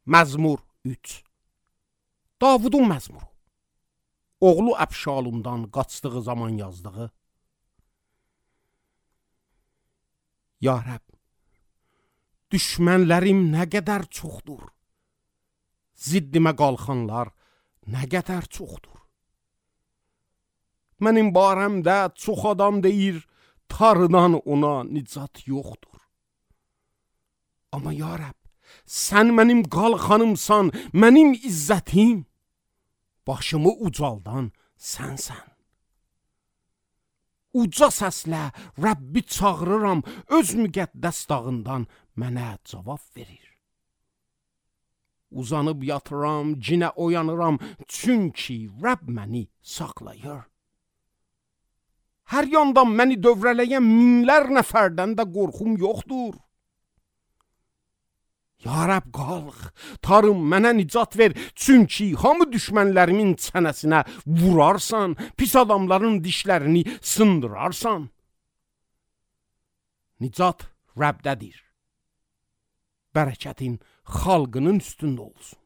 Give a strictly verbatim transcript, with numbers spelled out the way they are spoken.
Məzmur üç. Davudun məzmuru. Oğlu Əbşalumdan qaçdığı zaman yazdığı. Ya Rəbb, düşmənlərim nə qədər çoxdur. Ziddimə qalxanlar nə qədər çoxdur. Mənim barəmdə çox adam deyir, Tanrıdan ona nicat yoxdur. Amma ya Rəbb, sən mənim qalxanımsan, mənim izzətim. Başımı ucaldan sənsən. Uca səslə Rəbbi çağırıram, öz müqəddəs dağından mənə cavab verir. Uzanıb yatıram, cinə oyanıram, çünki Rəbb məni saxlayır. Hər yandan məni dövrələyən minlər nəfərdən də qorxum yoxdur. Ya Rəbb, qalx, Tanrım mənə nicat ver, çünki hamı düşmənlərimin çənəsinə vurarsan, pis adamların dişlərini sındırarsan. Nicat Rəbdədir. Bərəkətin xalqının üstündə olsun.